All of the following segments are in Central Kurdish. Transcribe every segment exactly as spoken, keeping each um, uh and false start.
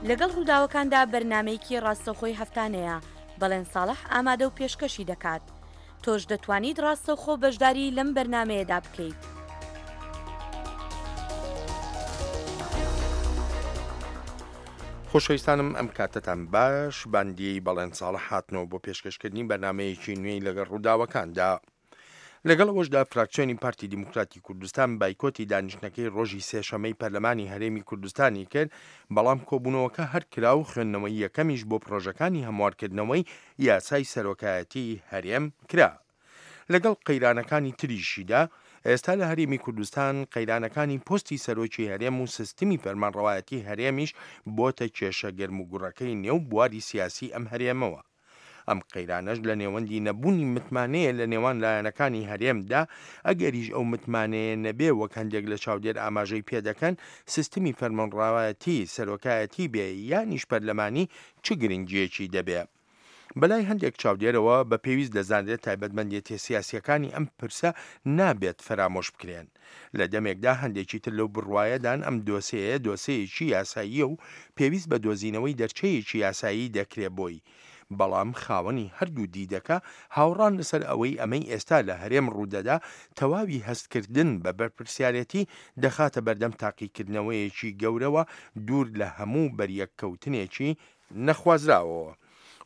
لەگەڵ ڕووداوەکاندا بەرنامەیەکی ڕاستەوخۆی هەفتانەیە، بەڵێن ساڵح ئامادە و پێشکەشی دەکات. تۆش دەتوانیت ڕاستەوخۆ بەشداری لەم بەرنامەیەدا بکەیت. خۆشەویستانم ئەم کاتەتان باش. باندیەی بەڵێن ساڵح هاتنەوە بۆ پێشکەشکردنی بەرنامەیەکی نوێی لەگەڵ ڕووداوەکاندا. لەگەڵ ئەوەشدا فراکسیۆنی پارتی دیموکراتی کوردستان بایکۆتی دانیشتنەکەی ڕۆژی سێشەمەی پەرلەمانی هەرێمی کوردستانی کرد، بەڵام کۆبوونەوەکە هەر کرا و خوێندنەوەی یەکەمیش بۆ پرۆژەکانی هەموارکردنەوەی یاسای سەرۆکایەتی هەرێم کرا. لەگەڵ قەیرانەکانی تریشیدا ئێستا لە هەرێمی کوردستان قەیرانەکانی پۆستی سەرۆکی هەرێم و سیستمی فەرمانڕەوایەتی هەرێمیش بۆتە کێشە گەرم و گوڕەکەی نێو بواری سیاسی ئەم هەرێمەوە. ئەم قەیرانەش لە نێوەندی نەبوونی متمانەیە لە نێوان لایەنەکانی هەرێمدا، ئەگەریش ئەو متمانەیە نەبێ وەک هەندێک لە چاودێر ئاماژەی پێدەکەن سیستمی فەرمانڕەوایەتی سەرۆکایەتی بێ یانیش پەرلەمانی چ گرنگیەکی دەبێ. بەلای هەندێک چاودێرەوە بە پێویست دەزانرێت تایبەتمەندێتیە سیاسیەکانی ئەم پرسە نابێت فەرامۆش بکرێن. لە دەمێکدا هەندێکی تر لەو بڕوایەدان ئەم دۆسێیە دۆسێیەکی یاساییە و پێویست بە دۆزینەوەی دەرچەیەکی یاسایی دەکرێ بۆی. بەڵام خاوەنی هەردوو دیدەکە هاوڕان لەسەر ئەوەی ئەمەی ئێستا لە هەرێم ڕوودەدا تەواوی هەستکردن بە بەرپرسیارێتی دەخاتە بەردەم تاقیکردنەوەیەکی گەورەوە دوور لە هەموو بەریەککەوتنێکی نەخوازراوەوە.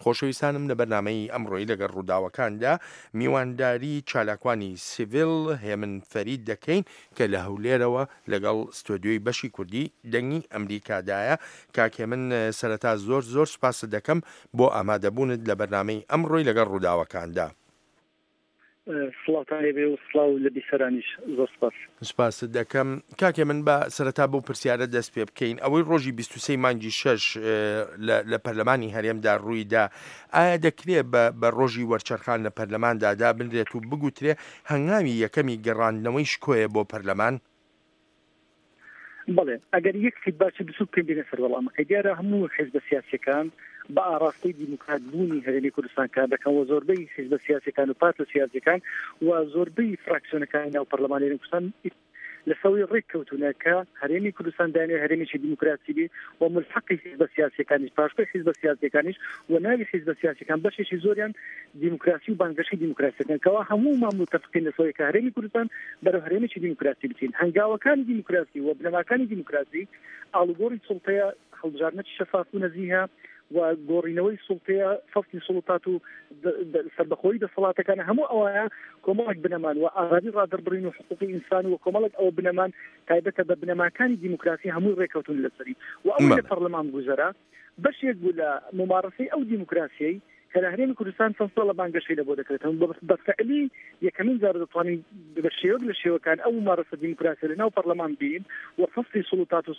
خۆشەویستانم لە بەرنامەی ئەمڕۆی لەگەڵ ڕووداوەکاندا میوانداری چالاکوانی سیڤیل هێمن فەرید دەکەین کە لە هەولێرەوە لەگەڵ ستۆدیۆی بەشی کوردی دەنگی ئەمریکادایە. کاک هێمن سەرەتا زۆر زۆر سوپاست دەکەم بۆ ئامادەبوونت لە بەرنامەی ئەمڕۆی لەگەڵ ڕووداوەکاندا. سڵاوتان لێبێ و سڵاو لە بیسەرانیش، زۆر سپاس. سپاست دەکەم. کاکێ من بە سەرەتا بەو پرسیارە دەست پێ بکەین. ئەوەی ڕۆژی بیست و سێ مانگی شەش لە پەرلەمانی هەرێمدا ڕوویدا، ئایا دەکرێت بە ڕۆژی وەرچەرخان لە پەرلەماندا دابنرێت و بگوترێ هەنگاوی یەکەمی گەڕاندنەوەی شکۆیە بۆ پەرلەمان؟ بەڵێ، ئەگەر یەک فیدباکی بچووک بکەین بینە سەر وەڵامەکەی، دیارە هەموو حیزبە سیاسیەکان بە ئاراستەی دیموکرات بوونی هەرێمی کوردستان کار دەکەن و زۆربەی حیزبە سیاسیەکان و پارتە سیاسیەکان و زۆربەی فراکسیۆنەکانی ناو پەرلەمانی هەرێمی کوردستان لەسەوەی ڕێک کەوتونە کە هەرێمی کوردستان دانێ هەرێمێکی دیموکراسی بێ و ملحەقی حیزبە سیاسیەکانیش، پاشکۆی حیزبە سیاسیەکانیش و ناوی حیزبە سیاسیەکان بەشێکی زۆریان دیموکراسی و بانگەشەی دیموکراسیەکان، کەوا هەموومان متفقین لەسەوەی کە هەرێمی کوردستان بەرەو هەرێمێکی دیموکراسی بچین. هەنگاوەکانی دیموکراسی و بنەماکانی دیموکراسی ئاڵوگۆڕی سوڵتەیە، هەڵبژاردنێکی شەفاف و نەزیهە و گۆڕینەوەی سوڵتەیە، فەصلی سوڵتات و سەربەخۆیی دەسەڵاتەکان، هەموو ئەوانە کۆمەڵێک بنەمان و ئازادی ڕادەربڕین و حقوقی ئینسان و کۆمەڵێک ئەوە بنەمان تایبەتە بە بنەماکانی دیموکراسی هەمووی ڕێکەوتون لەسەری. و ئەوەی لە پەرلەمان گوزەرا بەشێک بوو لە ممارەسەی ئەو دیموکراسیەی کە لە هەرێمی کوردستان چەند ساڵە بانگەشەی لە بۆ دەکرێتەوە. بە فعلی یەکەمین جار دەتوانین بە شێوەک لە شێوەکان ئەو ممارەسە دیموکراسی لە ناو پەرلەمان بین و فەصلی سوڵتات و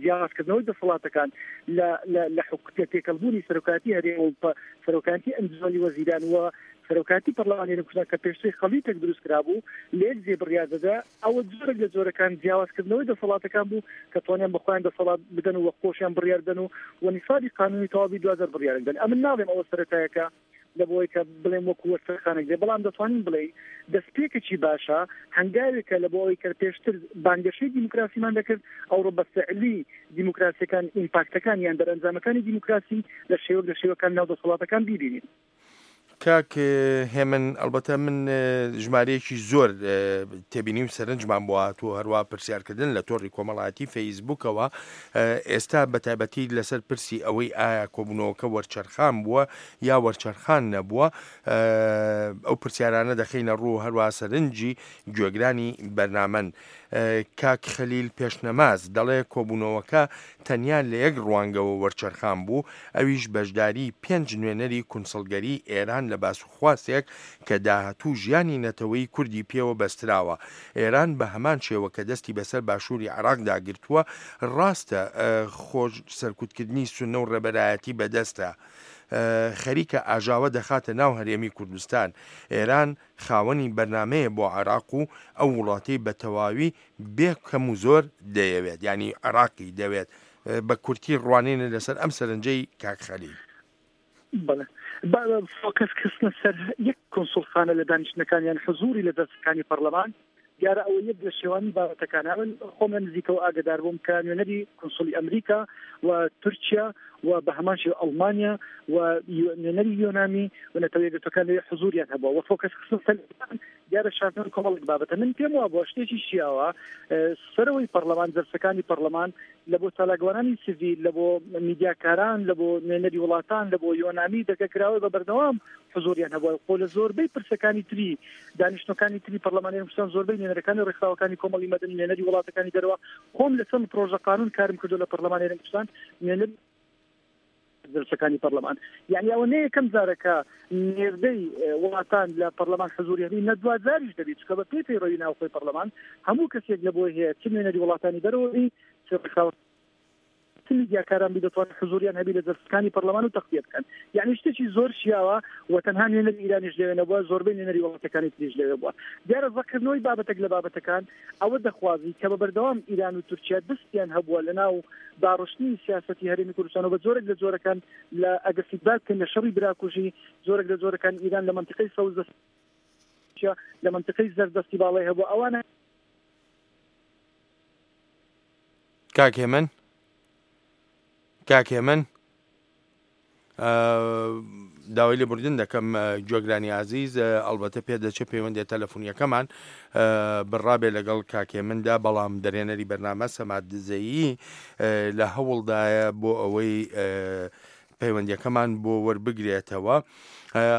جیاوازکردنەوەی دەسەڵاتەکان لە لە تێکەڵبوونی سەرۆکاتی هەرێم و سەرۆکاتی ئەنجومەنی وەزیران و سەرۆکاتی پەرلەمانی هەرێمی کوردستان کە پێشتر خەڵیتێک دروست کرابوو لە یەک جێ بڕیار دەدا، ئەوە جۆرێک لە جۆرەکان جیاوازکردنەوەی دەسەڵاتەکان بوو کە توانیان بە خۆیان دەسەڵات بدەن و خۆشیان بڕیار بدەن و و نیسابی قانونی تەواوی دوازدە بڕیارێک بدەن. ئەمن ناڵێم ئەوە سەرەتایەکە لە بۆی کە بڵێم وەکو وەرچەرخانێک بێ، بەڵام دەتوانین بڵێ دەستپێکێکی باشە، هەنگاوێکە لە بۆ ئەوەی کە پێشتر بانگەشەی دیموکراسیمان دەکرد، ئەوڕۆ بە فعلی دیموکراسیەکان ئیمپاکتەکان یان دەرەنجامەکانی دیموکراسی لە شێوەک لە شێوەکان ناو دەسەڵاتەکان بیبینین. کاک هێمن، ئەلبەتە من ژمارەیەکی زۆر تێبینی و سەرنجمان بۆ هاتووە، هەروە پرسیارکردن لە تۆڕی کۆمەڵایەتی فەیسبووکەوە ئێستا بە تایبەتی لەسەر پرسی ئەوەی ئایا کۆبوونەوەکە وەرچەرخان بووە یا وەرچەرخان نەبووە، ئەو پرسیارانە دەخەینە ڕوو، هەروە سەرنجی گوێگرانی بەرنامەن. کاک خەلیل پێشنەماز دەڵێ کۆبوونەوەکە تەنیا لە یەک ڕوانگەوە وەرچەرخان بوو، ئەویش بەشداری پێنج نوێنەری کونسڵگەری ئێران لە باسوخواستێک کە داهاتوو ژیانی نەتەوەی کوردی پێوە بەستراوە. ئێران بە هەمان شێوە کە دەستی بەسەر باشووری عێراقدا گرتووە، ڕاستە خۆش سەرکوتکردنی سوننە و ڕێبەرایەتی بەدەستە، خەریکە ئاژاوە دەخاتە ناو هەرێمی کوردستان. ئێران خاوەنی بەرنامەیە بۆ عێراق و ئەو وڵاتەی بە تەواوی بێ کەم و زۆر دەیەوێت، یعنی عێراقی دەوێت. بە کورتی ڕوانینە لەسەر ئەم سەرنجەی کاک خەلیل. بەڵێ، فۆکەس کردنە سەر یەک کونسوڵخانە لە دانیشتنەکان یان حزوری لە دەستەکانی پەرلەمان دیارە ئەوە یەک لە شێوانی بابەتەکانە. من خۆم لە نزیکەوە ئاگادار بووم کە نوێنەری کنسولی ئەمریکا و تورکیا و بە هەمان شێوە ئەڵمانیا و نوێنەری یۆنامی و نەتەوە یەکگرتووەکان لەوێ حزوریان هەبووە و فۆکەس خستن سەر دیارە شاردنەوەی کۆمەڵێک بابەتە. من پێم وابووە شتێکی شیاوە سەرەوەی پەرلەمان، جەلسەکانی پەرلەمان لە بۆ چالاکوانانی سیڤیل، لە بۆ میدیاکاران، لە بۆ نوێنەری وڵاتان، لە بۆ یۆنامی دەرگە کراوە بە بەردەوام حزوریان هەبووە. خۆ لە زۆربەی پرسەکانی تری دانیشتنەکانی تری پەرلەمانی کوردستان زۆربەی نوێنەرەکانی ڕێکخراوەکانی کۆمەڵی مەدەنی، نوێنەری وڵاتەکانی دەرەوە، خۆم لە چەند پرۆژە قانون کارم کردو لە پەرلەمانی کوردستان، نوێنەر جلسەکانی پەرلەمان. یعنی ئەوە نە یەکەم جارەکە نێردەی وڵاتان لە پەرلەمان حزوری هەبی، نە دوا جاریش دەبێت، چونکە بە پێی پەیڕەوی ناوخۆی پەرلەمان هەموو کەسێک لە بۆی هەیە چ نوێنەری وڵاتانی دەرەوە بی، چ ڕێکخراوە چ میدیاکاران بی، دەتوانن حزوریان هەبی لە جلسەکانی پەرلەمان و تەغتیە بکەن. یعنی شتێکی زۆر شیاوە و تەنها نوێنەری ئیرانیش لەوێ نەبووە، زۆربەی نوێنەری وڵاتەکانی تریش لەوێ بووە. دیارە زەقکردنەوەی بابەتێک لە بابەتەکان ئەوە دەخوازی کە بە بەردەوام ئیران و تورکیا دەستیان هەبووە لە ناو داڕشتنی سیاسەتی هەرێمی کوردستان و بە جۆرێک لە جۆرەکان لە ئەگەر فیدباک بکەن لە شەڕی براکوژی، جۆرێک لە جۆرەکان ئیران لە منطقەی سەوز دەست لە منطقەی زەرد دەستی باڵای هەبوو. ئەوانە کاک هێمن، کاک هێمن، داوای لێبوردن دەکەم گوێگرانی ئازیز، ئەلبەتە پێدەچێت پەیوەندیە تەلەفۆنیەکەمان بڕابێ لەگەڵ کاک هێمندا، بەڵام دەرێنەری بەرنامە سەماد دزەیی لە هەوڵدایە بۆ ئەوەی پەیوەندیەکەمان بۆ وەربگرێتەوە.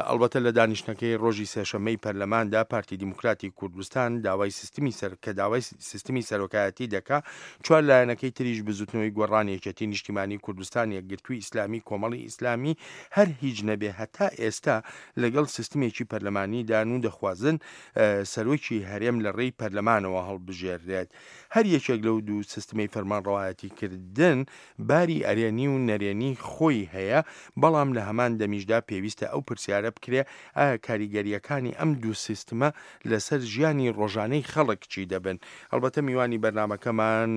ئەلبەتە لە دانیشتنەکەی ڕۆژی سێشەممەی پەرلەماندا پارتی دیموکراتی کوردستان داوای سیستمی سەر کە داوای سیستمی سەرۆکایەتی دەکا، چوار لایەنەکەی تریش بزوتنەوەی گۆڕان، یەکێتی نیشتیمانی کوردستان، یەکگرتووی ئیسلامی، کۆمەڵی ئیسلامی هەر هیچ نەبێ هەتا ئێستا لەگەڵ سیستمێکی پەرلەمانیدان و دەخوازن سەرۆکی هەرێم لە ڕێی پەرلەمانەوە هەڵبژێرێت. هەر یەکێک لەو دوو سیستمەی فەرمانڕەوایەتیکردن باری ئەرێنی و نەرێنی خۆی هەیە، بەڵام لە هەمان دەمیشدا پێویستە ئەو پرسیارە بکرێ ئایا کاریگەریەکانی ئەم دوو سیستمە لەسەر ژیانی ڕۆژانەی خەڵک چی دەبن. ئەلبەتە میوانی بەرنامەکەمان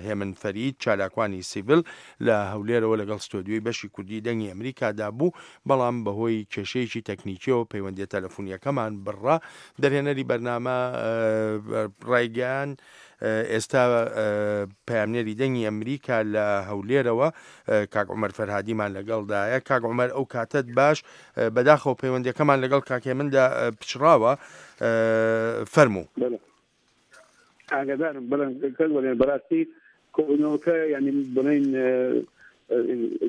هێمن فەرید، چالاکوانی سیڤیل لە هەولێرەوە لەگەڵ ستۆدیۆی بەشی کوردی دەنگی ئەمریکادا بوو، بەڵام بەهۆی کێشەیەکی تەکنیکیەوە پەیوەندیە تەلەفۆنیەکەمان بڕا. دەرهێنەری بەرنامە ڕایگەیان ئێستا پەیامنێری دەنگی ئەمریکا لە هەولێرەوە کاک عومەر فەرهادیمان لەگەڵدایە. کاک عومەر ئەو کاتت باش، بەداخەوە پەیوەندیەکەمان لەگەڵ کاک هێمندا پچڕاوە، فەرموو. ئاگادارم، بەڵام بەڕاستی کۆبوونەوەکە یعنی بڵێن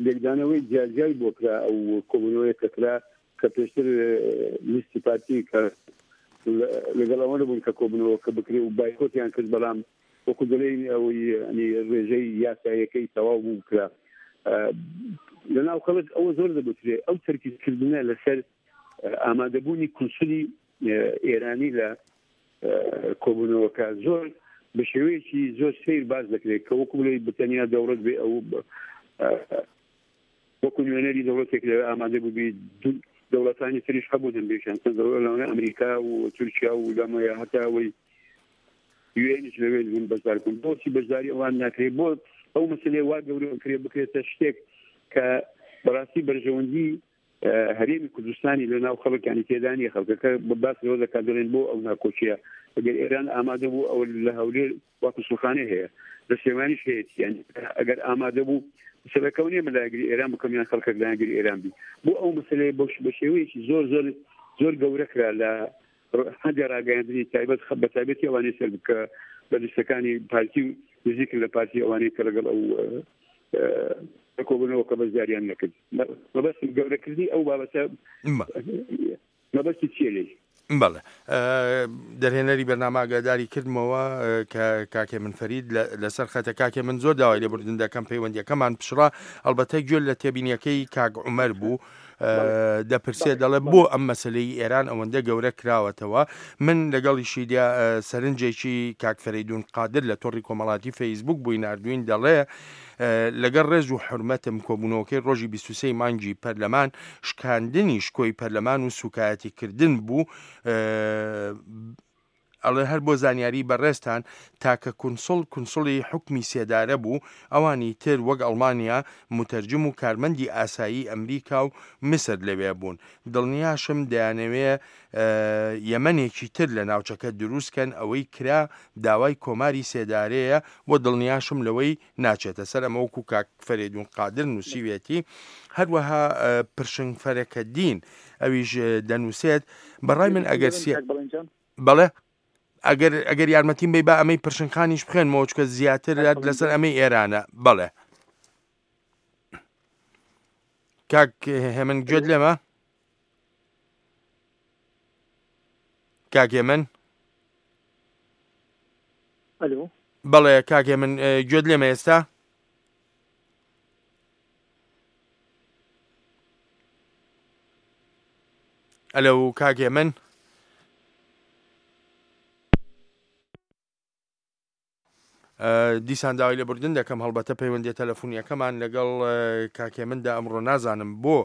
لێکدانەوەی جیاجیای بۆ کرا. ئەو کۆبوونەوەیە کە کرا کە پێشتر لیستی پارتی کە لەگەڵ ئەوە نەبوون کە کۆبوونەوەکە بکرێ و بایکۆتیان کرد، بەڵام وەکو دەڵێن ئەوەی ڕێژەی یاساییەکەی تەواو بوو کرا. لەناو خەڵک ئەوە زۆر دەگوترێ ئەو تەرکیزکردنە لەسەر ئامادەبوونی کونسولی ئێرانی لە کۆبوونەوەکە زۆر بە شێوەیەکی زۆر سەیر باز دەکرێت کە وەکو بڵێ بەتەنیا دەوڵەت بێ ئەو وەکو نوێنەری دەوڵەتێک لەوێ ئامادە بووبی، دەوڵەتانی تریش هەبوون هەندێکیان لەوانە ئەمریکا و تورکیا و لەمەیە هەتا ئەوەی یوئێنیش لەوێ بوون بەشدار بوون. بۆچی بەشداری ئەوان ناکرێت؟ بۆ ئەو مەسلەیە وا گەورە بکرێت بکرێتە شتێک کە بەڕاستی بەرژەوەندی هەرێمی کوردستانی لە ناو خەڵکانی تێدانی خەڵکەکە باس لەوە دەکات دەڵێن بۆ ئەو ناکۆکیە ئەگەر ئێران ئامادە بوو ئەو لە هەولێر واکو سوڵخانەی هەیە لە سلێمانیش هەیە، یعنی ئەگەر ئامادە بوو مەسەلەکە نییە من لایەنگری ئێران بکەم یان خەڵکێک لایەنگری ئێران بی. بۆ ئەو مەسەلەیە بە شێوەیەکی زۆر زۆر زۆر گەورە کرا لە هەندێک ڕاگەیاندنی تایبەت بە تایبەتی ئەوانەی سەر بکە بە لیستەکانی پارتی و نزیکن لە پارتی ئەوانەی کە لەگەڵ ئەو کۆبوونەوە کە بەشداریان نەکرد. مەبەستم گەورەکردنی ئەو بابەتە مەبەستی چییە لێی؟ بەڵێ دەرهێنەری بەرنامە ئاگاداری کردمەوە کە کاکێ من فەرید لەسەر خەتە. کاکێ من زۆر داوای لێبوردن دەکەم پەیوەندیەکەمان پچڕا، ئەلبەتە گوێ لە تێبینیەکەی کاک عومەر بوو دەپرسێت دەڵێ بۆ ئەم مەسلەی ئێران ئەوەندە گەورە کراوەتەوە. من لەگەڵیشیدا سەرنجێکی کاک فەرەیدون قادر لە تۆڕی کۆمەڵاتی فەیسبوک بووی ناردوین، دەڵێ لەگەڵ ڕێز و حرمەتم کۆبوونەوەکەی ڕۆژی بیست و سێ مانگی پەرلەمان شکاندنی شکۆی پەرلەمان و سوکایەتیکردن بوو. ئەڵێ هەر بۆ زانیاری بەڕێزتان تاکە کونسڵ کونسڵی حوکمی سێدارە بوو، ئەوانی تر وەک ئەڵمانیا موتەرجم و کارمەندی ئاسایی ئەمریکا و میسر لەوێ بوون. دڵنیاشم دەیانەوێ یەمەنێکی تر لە ناوچەکە دروست کەن، ئەوەی کرا داوای کۆماری سێدارەیە و دڵنیاشم لەوەی ناچێتە سەر. ئەمە وەکو کاک فەرێدون قادر نووسیوێتی. هەروەها پرشنگ فەرەکەدین ئەویش دەنووسێت بەڕای من ئەگەر بەڵێ ئەگەر ئەگەر یارمەتیم بی با ئەمەی پرشنگخانیش بخوێنمەوە چونکە زیاتر لەسەر ئەمەی ئێرانە. بەڵێ کاک هێمن گوێت لێمە؟ کاک هێمن؟ ئەلو بەڵێ کاک هێمن گوێت لێمە ئێستا؟ ئەلو کاک هێمن؟ دیسان داوای لێبوردن دەکەم، هەڵبەتە پەیوەندیە تەلەفۆنیەکەمان لەگەڵ کاک هێمندا ئەمڕۆ نازانم بۆ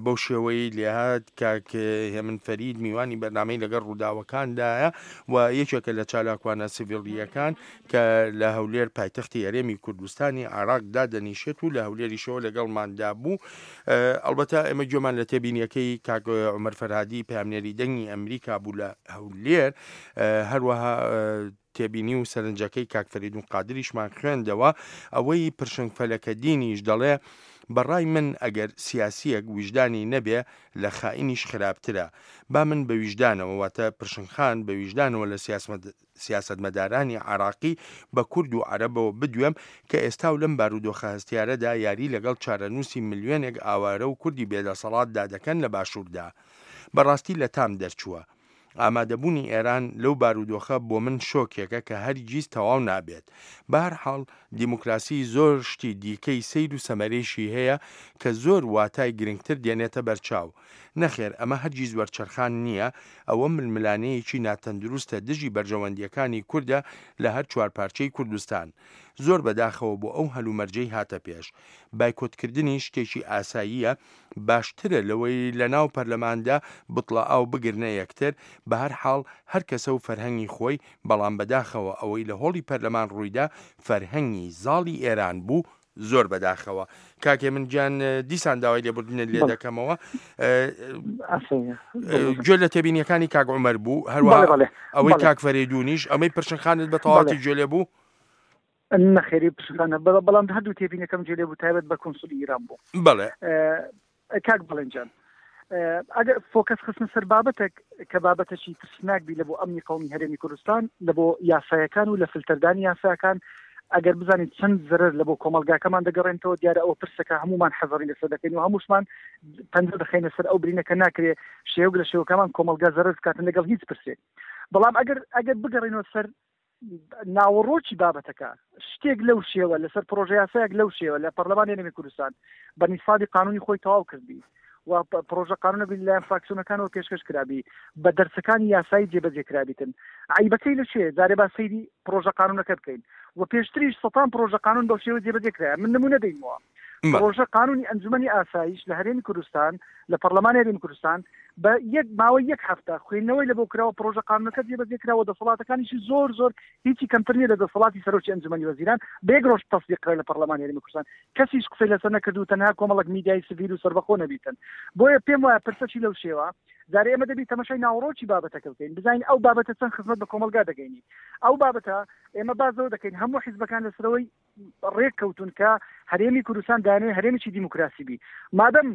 بەو شێوەیەی لێهات. کاک هێمن فەرید میوانی بەرنامەی لەگەڵ ڕووداوەکاندایە و یەکێکە لە چالاکوانە سیڤیلیەکان کە لە هەولێر پایتەختی هەرێمی کوردستانی عێراقدا دەنیشێت و لە هەولێریشەوە لەگەڵماندا بوو. ئەلبەتە ئێمە گوێمان لە تێبینیەکەی کاک عومەر فەرهادی پەیامنێری دەنگی ئەمریکا بوو لە هەولێر، هەروەها تێبینی و سەرنجەکەی کاک فەریدون قادریشمان خوێندەوە. ئەوەی پرشنگ فەلەکەدینیش دەڵێ بەڕای من ئەگەر سیاسیەک ویژدانی نەبێ لە خائینیش خراپترە. با من بە ویژدانەوە، واتە پرشنگخان بە ویژدانەوە لە سیاسەتمەدارانی عراقی بە کورد و عەرەبەوە بدوێم کە ئێستا و لەم بارودۆخە هەستیارەدا یاری لەگەڵ چارەنووسی ملیۆنێک ئاوارە و کوردی بێدەسەڵاتدا دەکەن لە باشووردا. بەڕاستی لە تام دەرچووە. ئامادەبوونی ئێران لەو بارودۆخە بۆ من شۆکێکە کە هەرگیز تەواو نابێت. بەهەرحاڵ دیموکراسی زۆر شتی دیکەی سەیر و سەمەرێشی هەیە کە زۆر واتای گرنگتر دێنێتە بەرچاو. نەخێر ئەمە هەرگیز وەرچەرخان نییە، ئەوە ململانەیەکی ناتەندروستە دژی بەرژەوەندیەکانی کوردە لە هەر چوار پارچەی کوردستان. زۆر بەداخەوە بۆ ئەو هەلومەرجەی هاتە پێش. بایکۆتکردنی شتێکی ئاساییە، باشترە لەوەی لە ناو پەرلەماندا بتڵە ئاو بگرنە یەکتر. بە هەر حاڵ هەر کەسە و فەرهەنگی خۆی، بەڵام بەداخەوە ئەوەی لە هۆڵی پەرلەمان ڕوویدا فەرهەنگی زاڵی ئێران بوو. زۆر بەداخەوە. کاکێ من گیان دیسان داوای لێبوردنت لێ دەکەمەوە. گوێ لە تێبینیەکانی کاک عومەر بوو، هەروەها ئەوەی کاک فەرێدونیش، ئەمەی پرشنخانت بە تەواوەتی گوێ لێ بوو؟ نەخێری پرشنخانە، بەڵام هەردوو تێبینەکەم گوێ لێ بوو، تایبەت بە کونسولی ئێران بوو. بەڵێ کاک بەڵێنجان، ئەگەر فۆکەس خستن سەر بابەتێک کە بابەتێکی ترسناک بی لە بۆ ئەمنی قەومی هەرێمی کوردستان، لە بۆ یاسایەکان و لە فلتەردانی یاساکان، ئەگەر بزانین چەند زەرەر لە بۆ کۆمەلگاکەمان دەگەڕێنەوە، دیارە ئەوە پرسەکە هەمومان حەزەری لەسەر دەکەین و هەمووشمان پەنجە دەخەینە سەر ئەو برینەکە ناکرێ شێوەک لە شێوەکەمان کۆمەلگا زەرەر بکاتن لەگەڵ هیچ پرسێک. بەڵام ئەگەر ئەگەر بگەڕێنەوە سەر ناوەڕۆکی بابەتەکە، شتێک لەو شێوە لەسەر پرۆژە یاسایەک لەو شێوە لە پەرلەمانی هەرێمی کوردستان بە نیسابی قانونی خۆی تەواو کردبی و پرۆژە قانونە بی لەلایەن فراکسیۆنەکانەوە پێشکەش کرابی، بە دەرسەکانی یاسایی جێبەجێ کرابیتن، عیبەکەی لە چێ؟ جارێ با سەیری پرۆژە قانونەکە بکەین و پێشتریش سەتان پرۆژە قانون بەو شێوە جێبەجێ کرایە. من نمونە دەینەوە، پرۆژە قانونی ئەنجومەنی ئاسایش لە هەرێمی کوردستان، لە پەرلەمانی هەرێمی کوردستان بە یەک ماوەی یەک هەفتە خوێندنەوەی لە بۆ کراوە، پرۆژە قانونەکە جێبەجێ کراوە، دەسەڵاتەکانیشی زۆر زۆر هیچی کەمتر نییە لە دەسەڵاتی سەرۆکی ئەنجومەنی وەزیران، بە یەک ڕۆژ تەسدیق کرا لە پەرلەمانی هەرێمی کوردستان، کەسیش قسەی لەسەر نەکرد و تەنها کۆمەڵێک میدیای سڤیل و سەربەخۆ نەبیتن. بۆیە پێم وایە پرسەکی لەو شێوە جارێ ئێمە دەبی تەماشای ناوەڕۆکی بابەتەکە بکەین، بزانین ئەو بابەتە چەند خزمەت بە کۆمەڵگا دەگەینی. ئەو بابەتە ئێمە بازەوە دەکەین هەموو حیزبەکان لەسەرەوەی ڕێک کەوتون کە هەرێمی کوردستان دانێ هەرێمێکی دیموکراسی بی. مادەم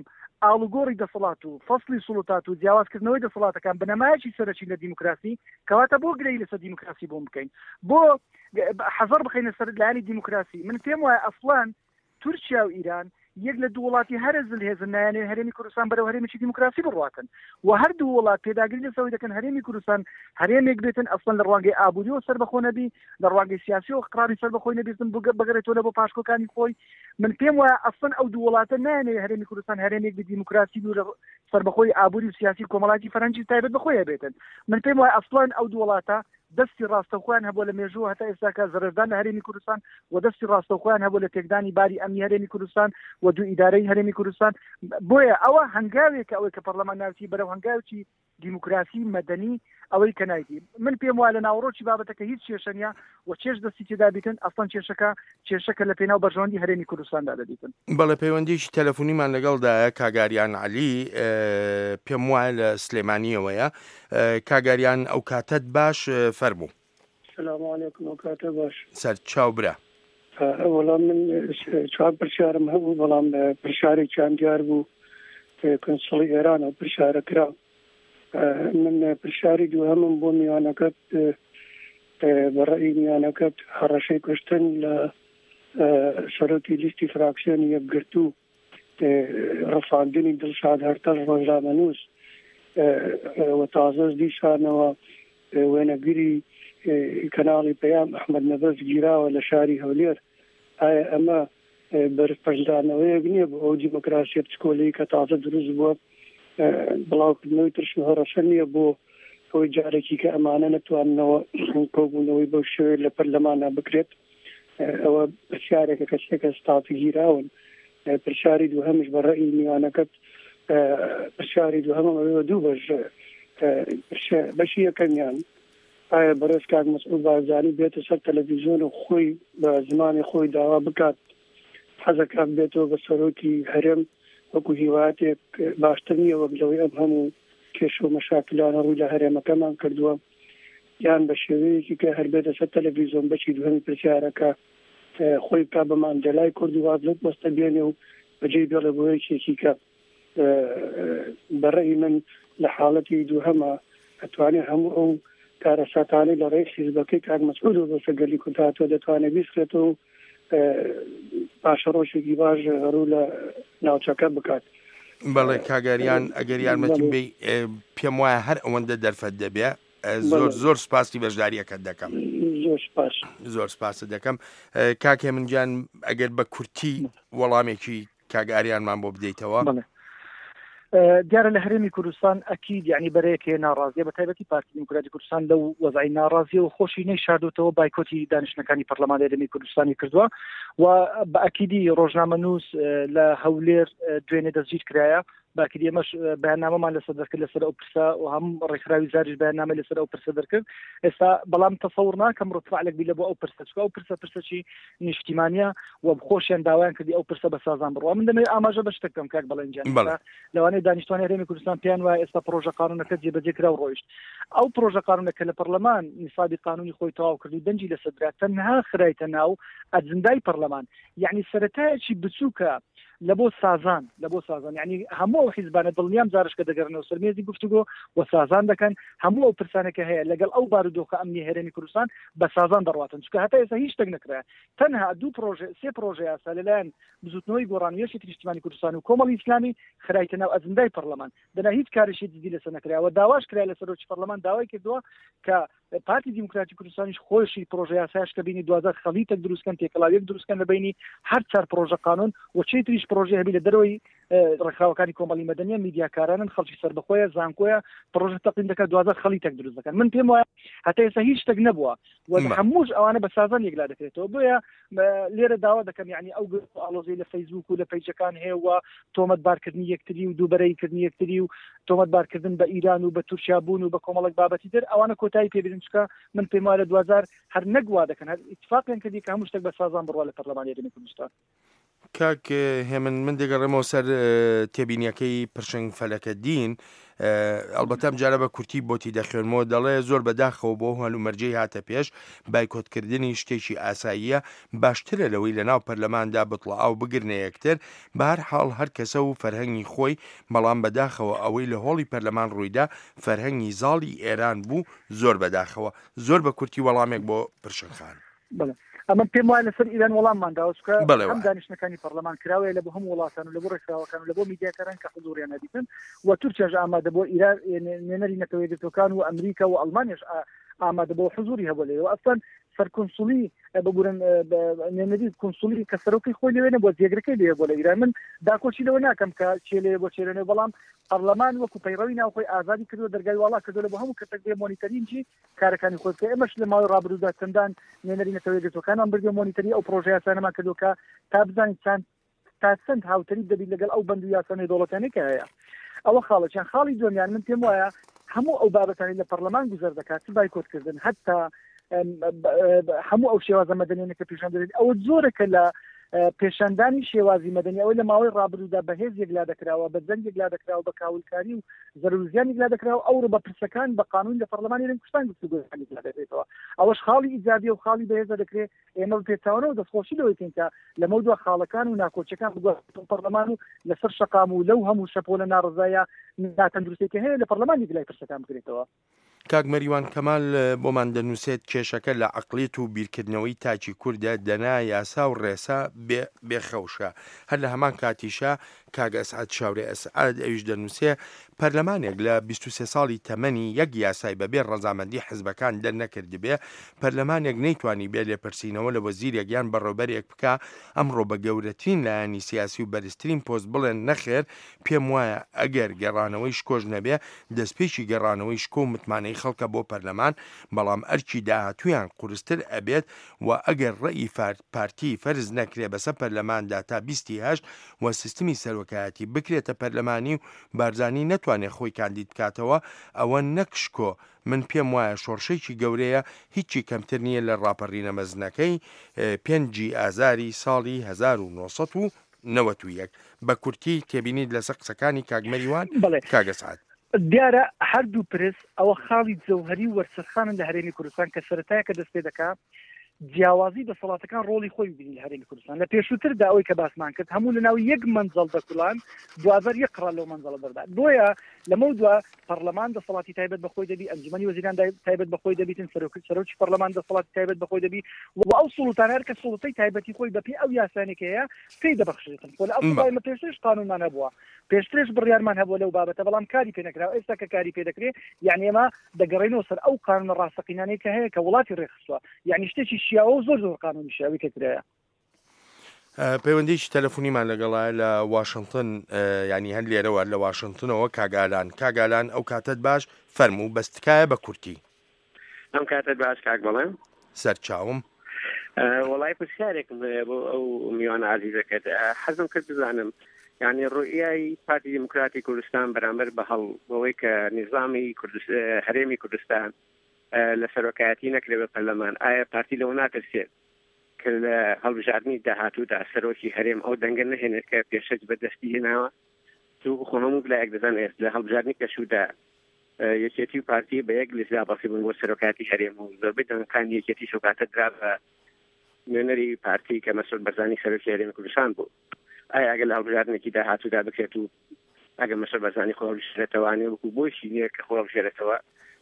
ئاڵوگۆڕی دەسەڵات و فەصلی سوڵتات و جیاوازکردنەوەی دەسەڵاتەکان بنەمایەکی سەرەکی لە دیموکراسی، کەواتە بۆ گرەی لەسەر دیموکراسی بۆم بکەین، بۆ حەزەر بخەینە سەر لایەنی دیموکراسی. من پێم وایە ئەسڵەن تورکیا و ئیران یەک لە دوو وڵاتی هەرە زلهێزن نایانێ هەرێمی کوردستان بەرەو هەرێمێکی دیموکراسی بڕواتن و هەر دوو وڵات پێداگری لەسەرەوەی دەکەن هەرێمی کوردستان هەرێمێک بێتن ئەسڵەن لە ڕوانگەی ئابووریەوە سەربەخۆ نەبی، لە ڕوانگەی سیاسیەوە قراری سەربەخۆی نەبیستن بگەڕێتەوە لە بۆ پاشکۆکانی خۆی. من پێم وایە ئەسڵەن ئەو دوو وڵاتە نایانێ هەرێمی کوردستان هەرێمێک بی دیموکراسی بی و لە سەربەخۆی ئابووری و سیاسی و کۆمەڵایەتی فەرهەنگی تایبەت بە خۆی هەبێتن. من پێم وایە ئەسڵەن ئەو دوو وڵاتە دەستی ڕاستەوخۆیان هەبووە لە مێژوو هەتا ئێستاکە زەرەردان لە هەرێمی کوردستان و دەستی ڕاستەوخۆیان هەبووە لە تێکدانی باری ئەمنی هەرێمی کوردستان و دوو ئیدارەی هەرێمی کوردستان. بۆیە ئەوە هەنگاوێکە ئەوەی کە پەرلەمان ناوچی بەرەو هەنگاوێکی دیموکراسی مەدەنی ئەوەی کە نایدی. من پێم وایە لە ناوەڕۆکی بابەتەکە هیچ کێشە نییە و چێژ دەستی تێدا بیتن، ئەسڵەن کێشەکە کێشەکە لە پێناو بەرژەوەندی هەرێمی کوردستاندا دەبیتن. بەڵێ، پەیوەندیی تەلەفۆنیمان لەگەڵدایە کاگاریان عەلی، پێم وایە لە سلێمانیەوەیە. کاگاریان ئەو کاتەت باش، فەرموو. سلام علیکم، ئەو کاتە باش. سەر چاو برا. وەڵام من چوار پرسیارم هەبوو، بەڵام پرسیارێکیان دیار بوو کنسوڵی ئێران ئەو پرسیارە کرا. من پرسیاری دووهەمم بۆ میوانەکەت، بە ڕەئی میوانەکەت هەڕەشەی کوشتن لە سەرۆکی لیستی فراکسیۆنی یەکگرتوو، ڕفاندنی دڵشاد هەرتەش ڕۆژنامەنووس و تازەش دیسانەوە وێنەگیری کەناڵی پەیام ئەحمەد نەبەز گیراوە لە شاری هەولێر، ئایا ئەمە بەرپەرچدانەوەیەک نییە بۆ ئەو دیموکراسیە بچکۆلەی کە تازە دروست بووە؟ بڵاوکردنەوەی ترس و هەڕەشە نییە بۆ ئەوەی جارێکی کە ئەمانە نەتواننەوە کۆبوونەوەی بەو شێوەیە لە پەرلەمانە بکرێت؟ ئەوە پرسیارێکە کە سێ کەس تازە گیراون. پرسیاری دووهەمش بە ڕەئی میوانەکەت، پرسیاری دووهەمم ئەوێ دوو بەش، بەشی یەکەمیان ئایا بەڕێز کاک مەسعود بارزانی بێتە سەر تەلەڤیزیۆن و خۆی بە زمانی خۆی داوا بکات حەزەکات بێتەوە بە سەرۆکی هەرێم وەکو هیواتێک باشتر نییە وەک لەوەی ئەم هەموو کێشە و مەشاکلانە ڕووی لە هەرێمەکەمان کردووە، یان بە شێوەیەکی کە هەر بێتە سەر تەلەڤیزیۆن بەشی دووهەمی پرسیارەکە خۆی بکات بە ماندێلای کورد و واز لەو پۆستە بێنێ و بەجێی بێڵێ بۆ یەکێکی کە بە ڕەئی من لە حاڵەتی دووهەمە ئەتوانێت هەموو ئەو کارەساتانەی لە ڕێی حیزبەکەی کاک مەسعودەوە بەسەر گەلی کورد هاتووە دەتوانێت بیسڕێتەوە و پاشەڕۆژێکی باش ڕوو لە ناوچەکە بکات. بەڵێ کاگەریان، ئەگەر یارمەتیم بێ پێم وایە هەر ئەوەندە دەرفەت دەبێ. زۆر زۆر سپاسی بەشداریەکەت دەکەم. زۆر سپاس. زۆر سپاست دەکەم. کاک هێمن گیان، ئەگەر بە کورتی وەڵامێکی کاک ئاریانمان بۆ بدەیتەوە. بەڵێ. دیارە لە هەرێمی کوردستان ئەکید یعنی بەرەیەک هەیە ناڕازیە، بە تایبەتی پارتی دیموکراتی کوردستان لەو وەزعی ناڕازیە و خۆشی نەیشاردوتەوە بایکۆتی دانیشتنەکانی پەرلەمانی هەرێمی کوردستانی کردووە و بە ئەکیدی ڕۆژنامەنووس لە هەولێر دوێنێ دەستگیر کرایە. باکری ئێمەش بەیاننامەمان لەسەر دەرکرد لەسەر ئەو پرسە و هەم ڕێکخراوی زاریش بەیاننامە لەسەر ئەو پرسە دەرکرد. ئێستا بەڵام تەسەور ناکەم ڕتفعلێک بی لە بۆ ئەو پرسە، چونکە ئەو پرسە پرسەی نیشتیمانیە و خۆشیان داوایان کردی ئەو پرسە بە سازان بڕوا. من دەمەوێت ئاماژە بە شتێک بکەم کاک بەڵێن گیان. لەوانەیە دانیشتوانی هەرێمی کوردستان پێیان وایە ئێستا پرۆژە قانونەکە جێبەجێ کرا و ڕۆیشت. ئەو پرۆژە قانونەکە لە پەرلەمان نیسابی قانونی خۆی تەواو کرد و دەنگی لەسەر درا، تەنها خرایتە ناو ئەجندای پەرلەمان، یعنی سەرەتایەکی بچووکە لە بۆ سازان، لە بۆ سازان یعنی هەموو ئەو حیزبانە دڵنیام جارش کە دەگەڕنەوە سەر مێزی گفتوگۆ و سازان دەکەن. هەموو ئەو پرسانە کە هەیە لەگەڵ ئەو بارودۆخە ئەمنی هەرێمی کوردستان بە سازان دەڕواتن، چونکە هەتا ئێستا هیچ شتێک نەکرایە. تەنها دوو پرۆژە، سێ پرۆژە یاسا لەلایەن بزوتنەوەی گۆڕان و یەکێتی نیشتیمانی کوردستان و کۆمەڵی ئیسلامی خرایتە ناو ئەجندای پەرلەمان، دەنا هیچ کارێکی جدی لەسەر نەکراوە. داواش کرا لە سەرۆکی پەرلەمان داوای کردووە کە پارتی دیموکراتی کوردستانیش خۆشی پرۆژە یاسایش کە بینی دوازدە خەڵیتێک دروستکەن، تێکەڵاویەک دروستکەن لە بینی هەر چوار پرۆژە قانون و چێتریش پرۆژە هەبی لە دەرەوەی ڕێکخراوەکانی کۆمەڵی مەدەنیە، میدیاکارانن، خەڵکی سەربەخۆیە، زانکۆیە، پرۆژە تەقدیم دەکات، دوازدە خەڵیتێک دروست دەکەن. من پێم وایە هەتا ئێستا هیچ شتێک نەبووە و هەمووش ئەوانە بە سازان یەکلا دەکرێتەوە. بۆیە لێرە داوا دەکەم یعنی ئەو ئاڵۆزی لە فەیسبوک و لە پەیجەکان هەیە و تۆمەتبارکردنی یەکتری و دووبەرەیکردنی یەکتری و تۆمەتبارکردن بە ئیران و بە تورکیا بوون و بە کۆمەڵێک بابەتی تر، ئەوانە کۆتایی پێبێنن، چونکە من پێم وایە لە دوازار هەر نەگوا دەکەن، هەر ئیتفاقیان کردی کە هەموو شتێک بە سازان بڕوا لە پەرلەمانی هەرێمی کوردستان. کاک هێمن، من دەگەڕێمەوە سەر تێبینیەکەی پرشنگ فەلەکەدین. ئەلبەتە ئەم جارە بە کورتی بۆتی دەخوێنمەوە. دەڵێ زۆر بەداخەوە بۆ هەلومەرجەی هاتە پێش، بایکۆتکردنی شتێکی ئاساییە، باشترە لەوەی لەناو پەرلەماندا بتڵە ئاو بگرنە یەکتر. بە هەر حاڵ هەر کەسە و فەرهەنگی خۆی، بەڵام بەداخەوە ئەوەی لە هۆڵی پەرلەمان ڕوویدا فەرهەنگی زاڵی ئێران بوو. زۆر بەداخەوە. زۆر بە کورتی وەڵامێک بۆ پرشنگ خان. بەڵێ، ئەمە پێم وایە لەسەر ئیران وەڵاممان داوە، چونکە هەم دانیشتنەکانی پەرلەمان کراوەیە لە بۆ هەموو وڵاتان و لە بۆ ڕێکخراوەکان و لە بۆ میدیاکاران کە حزوریان هەبیتن و تورکیاش ئامادە بۆ ئیران، نوێنەری نەتەوە یەکگرتووەکان و ئەمریکا و ئەڵمانیاش ئامادە بۆ حزوری هەبوو لەوێ. و ئەسڵەن سەرکونسولی ببورن نوێنەری کونسولی کە سەرۆکی خۆی لەوێ نەبووە، جێگرەکەی لەوێ بۆ لە ئیران. من داکۆکی لەوە ناکەم کە چێ لەوێ بۆ چێ لەوێ، بەڵام پەرلەمان وەکو پەیڕەوی ناوخۆی ئازادی کردووە، دەرگای واڵا کردووە لە بۆ هەموو کەسێک بێ مۆنیتەرینجی کارەکانی خۆی بکە. ئێمەش لە ماوەی ڕابردوودا چەندان نوێنەری نەتەوە یەکگرتووەکانمان بردووە، مۆنیتەری ئەو پرۆژە یاسانەمان کردووە کە تا بزانین چەند تا چەند هاوتەریب دەبیت لەگەڵ ئەو بەند و یاسا نێودەوڵەتیانەی کە هەیە. ئەوە خاڵێکیان. خاڵی دووەمیان من پێم وایە هەموو ئەو بابەتانی لە پەرلەمان گوزەر دەکات بایکۆتکردن حتا هەموو ئەو شێوازە مەدەنیانە کە پیشان دەدرێت ئەوە زۆرەکە لە پێشاندانی شێوازی مەدەنی ئەوەی لە ماوەی ڕابردوودا بەهێز یەکلا دەکراوە، بە جەنگ یەکلا دەکراوە، بە کاولکاری و زەرور زیان یەکلا دەکراوە، ئەوڕۆ بە پرسەکان بە قانون لە پەرلەمانی هەرێمی کوردستان گفتوگۆکان یەکلا دەکرێتەوە. ئەوەش خاڵی ئیجابیە و خاڵی بەهێزە دەکرێت ئێمە بە پێچەوانەوە دەستخۆشی لەوەی بکەین کە لەمەودوا خاڵەکان و ناکۆکیەکان بگوازرێتەوە پەرلەمان و لەسەر شەقام و لەو هەموو شەپۆلە ناڕەزایە ناتەندروستێک هەیە لە پەرلەمان یەکلای پرسەکان بکرێتەوە. کاک مەریوان کەمال بۆمان دەنووسێت کێشەکە لە عەقڵیەت و بیرکردنەوەی تاکی کوردە، دەنا یاسا و ڕێسا بێخەوشە. هەر لە هەمان کاتیشا کاک ئەسعەد شاورێ ئەسعەد ئەویش دەنووسێ پەرلەمانێک لە بیست و سێ ساڵی تەمەنی یەک یاسای بەبێ ڕەزامەندی حزبەکان دەرنەکردبێ، پەرلەمانێک نەیتوانی بێ لێپرسینەوە لە وەزیرێک یان بەڕێوبەرێک بکا، ئەمڕۆ بە گەورەترین لایەنی سیاسی و بەرزترین پۆست بڵێن نەخێر، پێم وایە ئەگەر گەڕانەوەی شکۆش نەبێ دەستپێکی گەڕانەوەی شکۆ و متمانەی خەڵکە بۆ پەرلەمان، بەڵام ئەرکی داهاتوویان قورستر ئەبێت و ئەگەر ڕەئی پارتی فەرز نەکرێ بەسەر پەرلەماندا تا بیستی هەشت و سیستمی سەرۆکایەتی بکرێتە پەرلەمانی و بارزانی نەتوانێت خۆی کاندید بکاتەوە، ئەوە نەک شکۆ، من پێم وایە شۆڕشێکی گەورەیە، هیچی کەمتر نییە لە ڕاپەڕینە مەزنەکەی پێنجی ئازاری ساڵی هەزار و نۆ سەد و نەوەد و یەک. بە کورتی تێبینیت لەسەر قسەکانی کاک مەریوان، کاک ئەسعەد. دیارە هەردوو پرس ئەوە خاڵی جەوهەری و وەرچەرخانن لە هەرێمی کوردستان کە سەرەتایەکە دەست پێ دەکا جیاوازی دەسەڵاتەکان ڕۆڵی خۆی ببینی لە هەرێمی کوردستان. لە پێشووتردا ئەوەی کە باسمان کرد هەموو لەناو یەک مەنزەڵ دەکوڵان، دوازەر یەک قڕان لەو مەنزەڵە دەردات. بۆیە لەمەو دوا پەرلەمان دەسەڵاتی تایبەت بە خۆی دەبی، ئەنجومەنی وەزیران تایبەت بە خۆی دەبیتن، سەرۆک سەرۆکی پەرلەمان دەسەڵاتی تایبەت بە خۆی دەبی و ئەو سوڵتانە هەر کە سوڵتەی تایبەتی خۆی بەپێی ئەو یاسانێک هەیە پێی دەبەخشێتن. خۆ لە ئەسڵدا ئێمە پێشترش قانونمان هەبووە، پێشترش بڕیارمان هەبووە لەو بابەتە، بەڵام کاری پێ نەکراوە. ئێستا کە کاری پێ دەکرێت یعنی ئێمە دەگەڕێنەوە سەر ئەو قانونە ڕاستەقینانەی کە هەیە کە وڵاتی ڕێکخستووە، یعنی شتێکی شیاوە و زۆر زۆر قانونی شیاوی کە کرایە. پەیوەندیی تەلەفۆنیمان لەگەڵا لە واشنگتن، ینی هەر لێرەوە لە واشنگتنەوە کاگالان. کاگالان ئەو کاتت باش، فەرموو بەس تکایە بە کورتی. ئەم کاتت باش کاک بەڵێن. سەرچاوم. وەڵای پرسیارێکم هەیە بۆ ئەو میوانە عەزیزەکەت. حەزم کرد بزانم یعنی ڕوئیای پارتی دیموکراتی کوردستان بەرامبەر بە هەڵ بەوەی کە نیزامی هەرێمی کوردستان لە سەرۆکایەتی نەکرێ بە پەرلەمان، ئایا پارتی لەوە ناترسێت کە لە هەڵبژاردنی داهاتوودا سەرۆکی هەرێم ئەو دەنگە نەهێنێت کە پێشەج بەدەستی هێناوە؟ تو خۆ هەموو لایەک دەزانێت لە هەڵبژاردنی پێشوودا یەکێتی و پارتی بە یەک لیست دابەسی بوون بۆ سەرۆکایەتی هەرێم و زۆربەی دەنگەکانی یەکێتی شەوکاتە درا بە نوێنەری پارتی کە مەسعود بەرزانی سەرۆکی هەرێمی کوردستان بوو. ئایا ئەگەر لە هەڵبژاردنێکی داهاتوودا بکرێت و ئەگەر مەسعود بەرزانی خۆ هەڵبژێرێتەوانێ وەکو بۆیشی نییە کە خۆ هەڵبژێرێتەوە،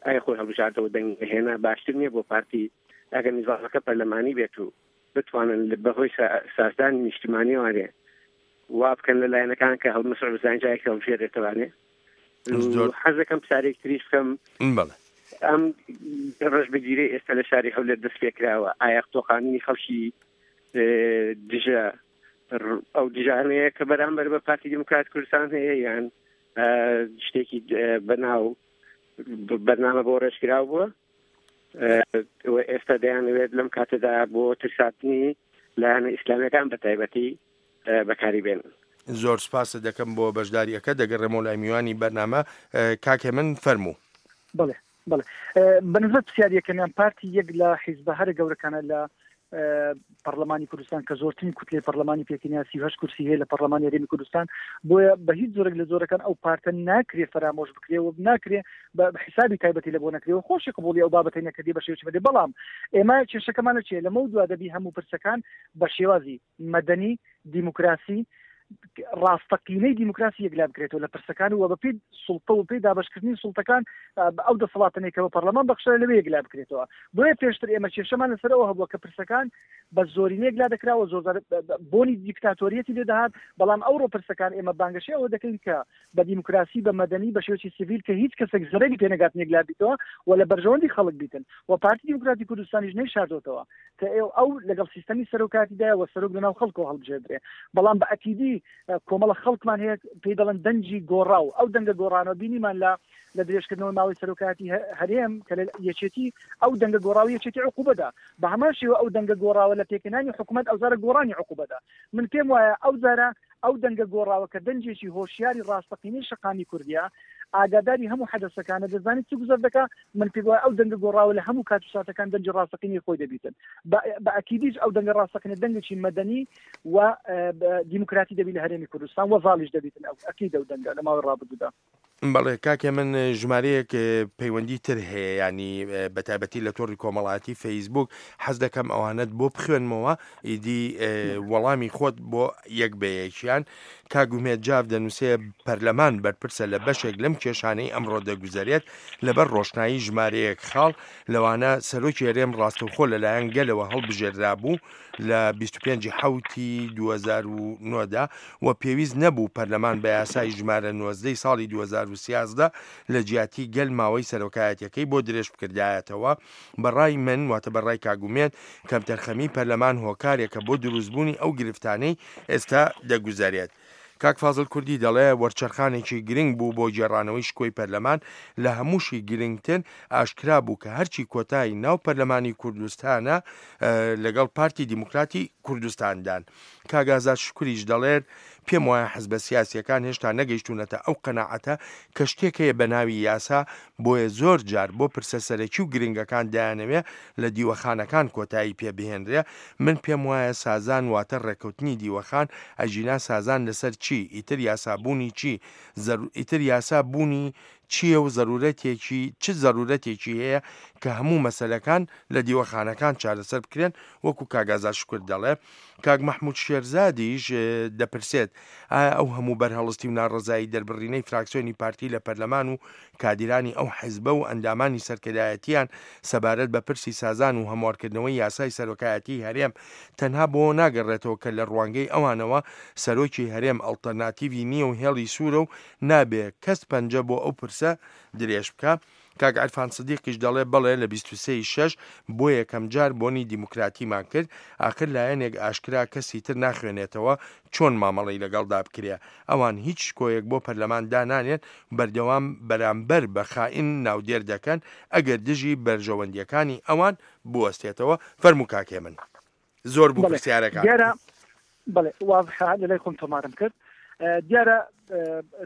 ئایا خۆی هەڵبژاردەوە دەنگ هێنا باشتر نییە بۆ پارتی ئەگەر نیزامەکە پەرلەمانی بێت و بتوانن بەهۆی سازدانی نیشتیمانیوانێ وا بکەن لە لایەنەکان کە هەڵمەسعود بەرزانی جارێک هەڵبژێرێتەوانێ؟ حەز دەکەم پرسیارێک تریش بکەم. بەڵێ. ئەم ڕەش بگیرەی ئێستا لە شاری هەولێر دەست پێکراوە، ئایا تۆقاندنی خەڵکی دژە ئەو دژانەیە کە بەرامبەر بە پارتی دیموکرات کوردستان هەیە یان شتێکی بەناو بەرنامە بۆ ڕێژکراو بووە ئێستا دەیانەوێت لەم کاتەدا بۆ ترساتنی لایەنە ئیسلامیەکان بە تایبەتی بەکاری بێنن؟ زۆر سپاست دەکەم بۆ بەشداریەکە. دەگەڕێمەوە لای میوانی بەرنامە کاک هێمن فەرموو. بەڵێ بەڵێ بەنسبەت پرسیاریەکەمیان پارتی یەک لە حیزبە هەرە گەورەکانە لە پەرلەمانی کوردستان کە زۆرترین کوتلەی پەرلەمانی پێکهێنا، سی و هەشت کورسی هەیە لە پەرلەمانی هەرێمی کوردستان. بۆیە بە هیچ جۆرێک لە جۆرەکان ئەو پارتە ناکرێ فەرامۆش بکرێ و ناکرێ بە حسابی تایبەتی لە بۆ نەکرێ و خۆشی قبوڵی ئەو بابەتەی نەکردی بە شێوەیەکی مەدەنی. بەڵام ئێمە کێشەکەمانە چییە؟ لەمەو دوا دەبی هەموو پرسەکان بە شێوازی مەدەنی دیموکراسی ڕاستەقینەی دیموکراسی یەکلا بکرێتەوە لە پرسەکان و بەپێی سوڵتە و پێی دابەشکردنی سوڵتەکان ئەو دەسەڵاتەنەی کە بە پەرلەمان بەخشرا لەوێ یەکلا بکرێتەوە. بۆیە پێشتر ئێمە کێشەمان لەسەر ئەوە هەبووە کە پرسەکان بە زۆرینە یەکلا دەکراوە، زۆر بۆنی دیکتاتۆریەتی لێ دەهات. بەڵام ئەوڕۆ پرسەکان ئێمە بانگەشەی ئەوە دەکەین کە بە دیموکراسی بە مەدەنی بە شێوەیەکی سیڤیل کە هیچ کەسێک زەرەری پێ نەگات یەکلا بیتەوە و لە بەرژەوەندی خەڵک بیتن. و پارتی دیموکراتی کوردستانیش نەیشاردۆتەوە کە ئەو لەگەڵ سیستەمی سەرۆکاتیدایە و سەرۆک لەناو خەڵکەوە هەڵبژێردرێ. بەڵام بە ئەکیدی کۆمەڵە خەڵکمان هەیە پێی دەڵێن دەنگی گۆڕاو. ئەو دەنگە گۆڕانەوە بینیمان لە لە درێژکردنەوەی ماوەی سەرۆکاتی هەرێم کە لە یەکێتی ئەو دەنگە گۆڕاوە یەکێتی عقوبەدا، بە هەمان شێوە ئەو دەنگە گۆڕاوە لە پێکهێنانی حکوومەت ئەو جارە گۆڕانی عقوبەدا. من پێم وایە ئەو جارە ئەو دەنگە گۆڕاوە کە دەنگێکی هۆشیاری ڕاستەقینەی شەقامی کوردیە، ئاگاداری هەموو حەدەسەکانە، دەزانێت چی گوزەر دەکا. من پێ وایە ئەو دەنگە گۆڕاوە لە هەموو کات و ساتەکان دەنگی ڕاستەقینەی خۆی دەبیتن. بە ئەکیدیش ئەو دەنگە ڕاستەقینە دەنگێکی مەدەنی و دیموکراتی دەبی لە هەرێمی کوردستان و زاڵیش دەبیتن ئەو ئەکید ئەو دەنگە لە ماوەی ڕابردوودا. بەڵێ کاکێ من ژمارەیەک پەیوەندی تر هەیە، ینی بە تایبەتی لە تۆڕی کۆمەڵایەتی فەیسبوک حەز دەکەم ئەوانەت بۆ بخوێنمەوە ئیدی وەڵامی خۆت بۆ یەک بە یەکیان. کاک ئومێد جاف دەنووسێ پەرلەمان بەرپرسە لە بەشێک لەم کێشانەی ئەمڕۆ دەگوزەرێت لەبەر ڕۆشنایی ژمارەیەک خاڵ، لەوانە سەرۆکی هەرێم ڕاستەوخۆ لەلایەن گەلەوە هەڵبژێررا بوو لە بیست و پێنج حەوتی دوو هەزار و نۆدا و پێویست نەبوو پەرلەمان بە یاسای ژمارە نۆزدەی ساڵی دوو هەزار و سیازدە لە جیاتی گەل ماوەی سەرۆکایەتیەکەی بۆ درێژ بکردایەتەوە. بەڕای من واتە بەڕای کاگومێن کەمتەرخەمی پەرلەمان هۆکارێکە بۆ دروستبوونی ئەو گرفتانەی ئێستا دەگوزارێت. کاک فازل کوردی دەڵێ وەرچەرخانێکی گرنگ بوو بۆ گێڕانەوەی شکۆی پەرلەمان، لە هەمووشی گرنگتر ئاشکرا بوو کە هەرچی کۆتایی ناو پەرلەمانی کوردستانە لەگەڵ پارتی دیموکراتی کوردستاندان. کاک ئازاد شکریش دەڵێت پێم وایە حزبە سیاسیەکان هێشتا نەگەیشتونەتە ئەو قەناعەتە کە شتێک هەیە بە ناوی یاسا، بۆیە زۆر جار بۆ پرسە سەرەکی و گرنگەکان دایانەوێ لە دیوەخانەکان کۆتایی پێبهێنرێ. من پێم وایە سازان واتە ڕێککەوتنی دیوەخان، ئەژینا سازان لەسەر چی؟ ئیتر یاسابوونی چی؟ ئیتر یاسا بوونی چییە و ضرورەتێکی چ ضرورەتێکی هەیە کە هەموو مەسلەکان لە دیوەخانەکان چارەسەر بکرێن؟ وەکو کاک ئازاد شکر دەڵێ. کاک مەحموود شێرزادیش دەپرسێت ئایا ئەو هەموو بەرهەڵستی و ناڕەزایی دەربڕینەی فراکسیۆنی پارتی لە پەرلەمان و کادیرانی ئەو حیزبە و ئەندامانی سەرکردایەتیان سەبارەت بە پرسی سازان و هەموارکردنەوەی یاسای سەرۆکایەتی هەرێم تەنها بۆ ناگەڕێتەوە کە لە ڕوانگەی ئەوانەوە سەرۆکی هەرێم ئەڵتەرناتیڤی نییە و هێڵی سوورە و نابێ کەس پەنجە بۆ ئەو پرسە درێژ بکە؟ کاک عرفان سدیقیش دەڵێ بەڵێ لە بیست و سێ شەش بۆ یەکەم جار بۆنی دیموکراتیمان کرد، ئاخر لایەنێک ئاشکرا کەسی تر ناخوێنێتەوە چۆن مامەڵەی لەگەڵدا بکرێ. ئەوان هیچ شکۆیەک بۆ پەرلەمان دانانێن، بەردەوام بەرامبەر بە خائین ناودێر دەکەن ئەگەر دژی بەرژەوەندیەکانی ئەوان بوەستێتەوە. فەرموو کاکێ من زۆر بوو پرسیارەکان. دیارە بەڵێ واضحە لەلای خۆم تۆمارم کرد. دیارە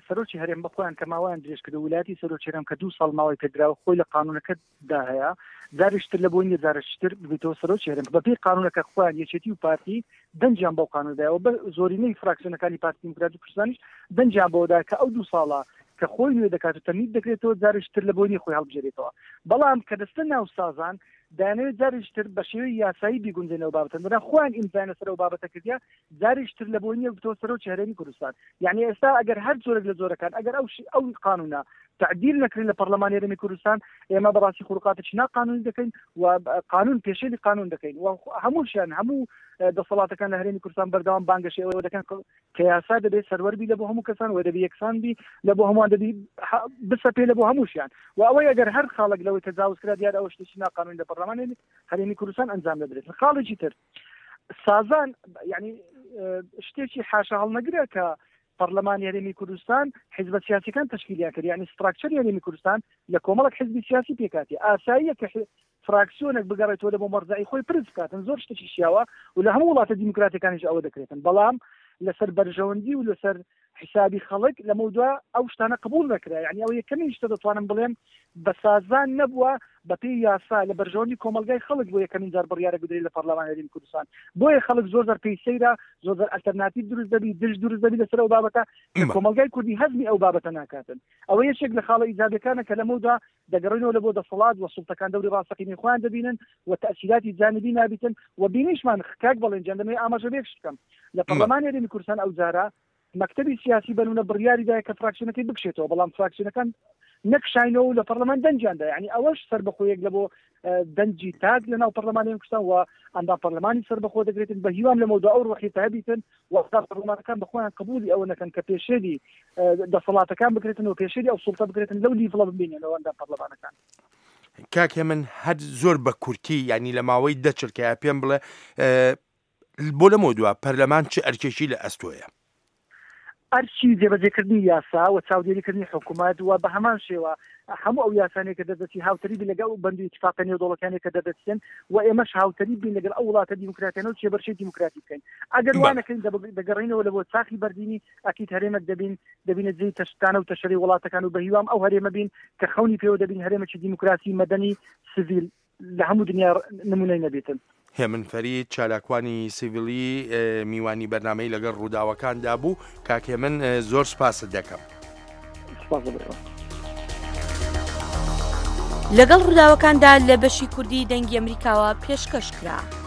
سەرۆکی هەرێم بە خۆیان کە ماوەیان درێژ کرد، ویلایەتی سەرۆکی هەرێم کە دوو ساڵ ماوەی پێدراوە خۆی لە قانونەکەدا هەیە، جارێکتر لە بۆی نییە جارێکتر ببێتەوە سەرۆکی هەرێم. بەپێی قانونەکە خۆیان یەکێتی و پارتی دەنجیان بەو قانونەدایەوە، بە زۆرینەی فراکسیۆنەکانی پارتی دیموکراتی کوردستانیش دەنجیان بەوەدا کە ئەو دوو ساڵە کە خۆی نوێ دەکات و تەمید دەکرێتەوە جارێکتر لە بۆی نییە خۆی هەڵبژێرێتەوە. بەڵام کە دەستە ناو سازان دانەوێت جارێکتر بە شێوەی یاسایی بیگونجێنەوە بابەتە، دەنا خۆیان ئیمزایان لەسەر ئەو بابەتە کردیە جارێکتر لە بۆی نییە بتەوە سەرۆکی هەرێمی کوردستان. یعنی ئێستا ئەگەر هەر جۆرێک لە جۆرەکان ئەگەر ئەو ئەو قانونە تعدیل نەکرێت لە پەرلەمانی هەرێمی کوردستان، ئێمە بەڕاستی خروقاتێکی ناقانونی دەکەین و قانون پێشێلی قانون دەکەین و هەمووشیان هەموو دەسەڵاتەکان لە هەرێمی کوردستان بەردەوام بانگەشەی ئەوە دەکەن کە یاسا دەبێت سەروەر بی لە بۆ هەموو کەسان و دەبێت یەکسان بی لە بۆ هەمووان، دەبی بسەپێ لە بۆ هەمووشیان. و ئەوەی ئەگەر هەر خاڵێک لەوەی تەجاوز کرا دیار ئەوە شتێکی ناقانونی لە پەرلەمانی هەرێمی کوردستان ئەنجام دەدرێت. خاڵێکی تر سازان یعنی شتێکی حاشا هەڵنەگرە کە پەرلەمانی هەرێمی کوردستان حیزبە سیاسیەکان تەشکیلیان کرد، یعنی ستراکچەری هەرێمی کوردستان لە کۆمەڵێک حیزبی سیاسی پێکاتی. ئاساییە کە فراکسیۆنێک بگەڕێتەوە لە بۆ مەرجەعی خۆی پرس بکاتن، زۆر شتێکی شیاوە و لە هەموو وڵاتە دیموکراتیەکانیش ئەوە دەکرێتن، بەڵام لەسەر بەرژەوەندی و لەسەر حسابی خەڵک لەمەودوا ئەو شتانە قبول نەکرا. یعنی ئەوە یەکەمین شتە دەتوانم بڵێم بە سازان نەبووە بەپێی یاسا لە بەرژەوەندی کۆمەلگای خەڵک بۆ یەکەمین جار بڕیارە بدرێت لە پەرلەمان هەرێمی کوردستان. بۆیە خەڵک زۆر زۆر پێی سەیرە، زۆر زۆر ئەلتەرناتیڤ دروست دەبی، دژ دروست دەبی لەسەر ئەو بابەتە کە کۆمەلگای کوردی هەزمی ئەو بابەتە ناکاتن. ئەوە یەکێک لە خاڵە ئیجابیەکانە کە لەمەودا دەگەڕێنەوە لە بۆ دەسەڵات و سوڵتەکان دەوری ڕاستەقینەی خۆیان دەبینن و تەئسیراتی جانبی نابیتن و بینیشمان کاک بەڵێن جان دەمەوێت ئاماژە بە یەک شت بکەم. لە پەرلەمانی هەرێمی کوردستان ئەو جارە مەکتەبی سیاسی بەنونە بڕیاری دایە کە فراکسیۆنەکەی بکشێتەوە، بەڵام فراکسیۆنەکان نەکشاینەوە و لە پەرلەمان دەنجیاندا. یعنی ئەوەش سەربەخۆیەک لە بۆ دەنجی تاک لە ناو پەرلەمانی کوردستان و ئەندام پەرلەمانی سەربەخۆ دەگرێتن. بە هیوام لەمەودا ئەو ڕۆحیەتە هەبیتن و ئەندام پەرلەمانەکان بە خۆیان قبولی ئەوە نەکەن کە پێشێلی دەسەڵاتەکان بکرێتن و پێشێلی ئەو سوڵتە بکرێتن لەو لیڤڵە ببینێنەوە ئەندام پەرلەمانەکان. کاک هێمن هەر زۆر بە کورتی، یعنی لە ماوەی دە چرکەیە پێم بڵێ بۆ لەمەودوا پەرلەمان چه ئەرکێکی لە ئەستۆیە؟ ئەرکی جێبەجێکردنی یاسا و چاودێریکردنی حکوومەت و بە هەمان شێوە هەموو ئەو یاسانەی کە دەردەچی هاوتەریبی لەگەڵ ئەو بەند و ئیتفاقە نێودەوڵەتیانەی کە دەردەچن و ئێمەش هاوتەریب بین لەگەڵ ئەو وڵاتە دیموکراتیانە و کێبەرکێی دیموکراتی بکەین. ئەگەر وا بەڵێ. نەکەین دەگەڕێینەوە لە بۆ چاخی بەردینی، ئەکید هەرێمێک دەبین دەبینە جێی تەشتانە و تەشەرەی وڵاتەکان و بەهیوام ئەو هەرێمە بین کە خەونی پێوە دەبین، هەرێمێکی دیموکراسی مەدەنی سڤیل لە هەموو دنیا نمونەی نەبێتن. هێمن فەرید، چالاکوانی سیڤیلی میوانی بەرنامەی لەگەڵ ڕووداوەکاندا بوو. کاک هێمن زۆر سوپاست دەکەم. سوپاس بۆ ئێوە. لەگەڵ ڕووداوەکاندا لە بەشی کوردی دەنگی ئەمریکاوە پێشکەش کرا.